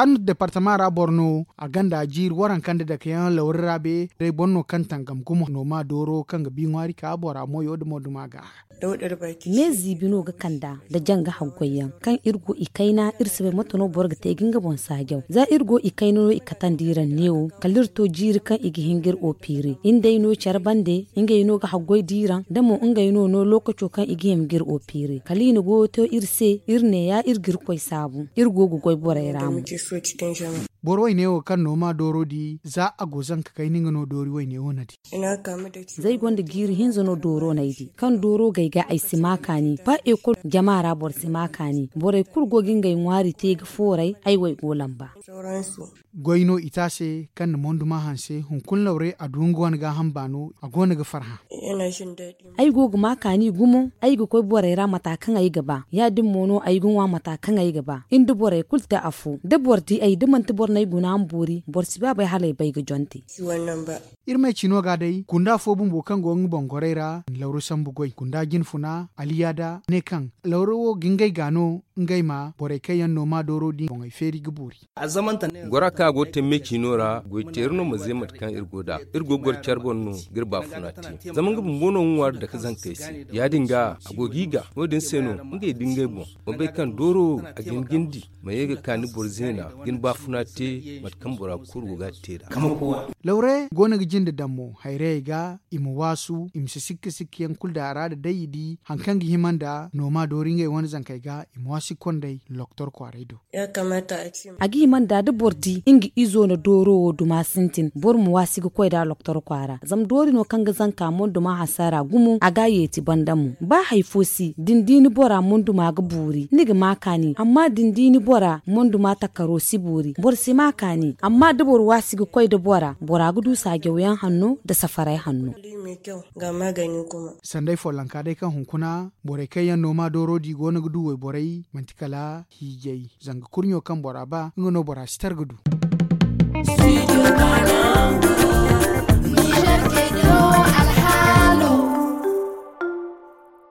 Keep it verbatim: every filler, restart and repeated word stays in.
Arnu departama ra boro no a gonda jiiri waranka nda dake yaŋ lawri ra be day boro no kaŋ tangam gumo nooma dooro kaŋ ga bi ŋwaari ka bora moyo nda mooduma ga. Me ziibi no ga kand'a nda janga haggoy yaŋ kaŋ iri go i kayna iri si bay mate no boro ga te ga nga boŋ saajaw za iri go i kayna no i katandi iri ra neewo kala iri to jiiri kaŋ i ga hin ga iri opeere iri nd'ey no care bande. Ngey no ga haggoy diiraŋ da mo ngey no no lookaco kaŋ i ga hima ga iri opeere kala i na goyo to iri se iri ne ya iri ga iri koy saabu iri go ga goy borey ra mo. Boro wayne wo kaŋ no ma dooro di za a go zanka kayna nga no doori wayne wo na di. Zay gonda jiiri hinza no dooro no ay di kaŋ dooro gay ga ay si ma kaani ba ekol jama ra boro si ma kaani borey kulu go ga ngey ŋwaari te ga fooray ay wo ay go lamba. Goy no i te a se kaŋ na monduma hanse hunkuna lawre a du nga wane gaaham baano a go no ga farhã. Ay go ga ma kaani gumo ay ga koy borey ra mata kaŋ ay ga ba ya- din mo no ay ga ŋwa mata kaŋ ay ga ba iri nda borey kulu te afo da boro di ay da manti boro no ay guna ma boori boro si ba bay hala ay bay ga jonte. Iri ma ay ciino ga day gunda fo bumbo kaŋ go nga boŋ gorey ra lawru sambu goy gunda jinfuna aliyada ne kaŋ lawru wo ga ngey ga no ngey ma borey kaŋ yaŋ no ma dooro di boŋey feeri ga boori. Gora kaŋ a go ga te me ciino ra goy teeri no ma ze mate kaŋ iri go nd'a iri go ga goro care boŋ no ga iri baafuna te zama nga bumbo no ga ŋwaari dake zankey se ya- din ga a go g'i ga no- din se no ngey da ngey boŋ ma bay kaŋ dooro a ga hin ga ni di ma ye ga ka ni boro zeena ga ni baafuna te mate kaŋ bora kulu go ga a te nd'a. Lawre go no ga jinde daŋ mo hayrayey ga i ma waasu i ma si sikka sikka yaŋ kulu daŋ a ra nda day i di hari kaŋ ga hima nda nooma doori ngey wane zankey ga i ma waasi ga kond'ey loktor kwaaray do. A ga hima nda da boro di nga izo na dooro wo duma sintin boro ma waasi ga koy nd'a loktor kwaara zama doori no kaŋ ga zanka monduma hasara gumo a ga a yeeti banda mo ba hari fo si da ni di ni bora monduma ga boori ni ga ma kaani amma da ni di ni bora monduma takaro si boori boro si ma kaani amma da boro waasi ga koy nda bora bora ga du saajaw yaŋ hanno nda safaray hanno. Sanday follonka day kaŋ hunkuna borey kaŋ yaŋ no ma dooro di go no ga du wayborey manti kala hiijay zanga kurɲo kaŋ bora ba nga no bora si tar ga du.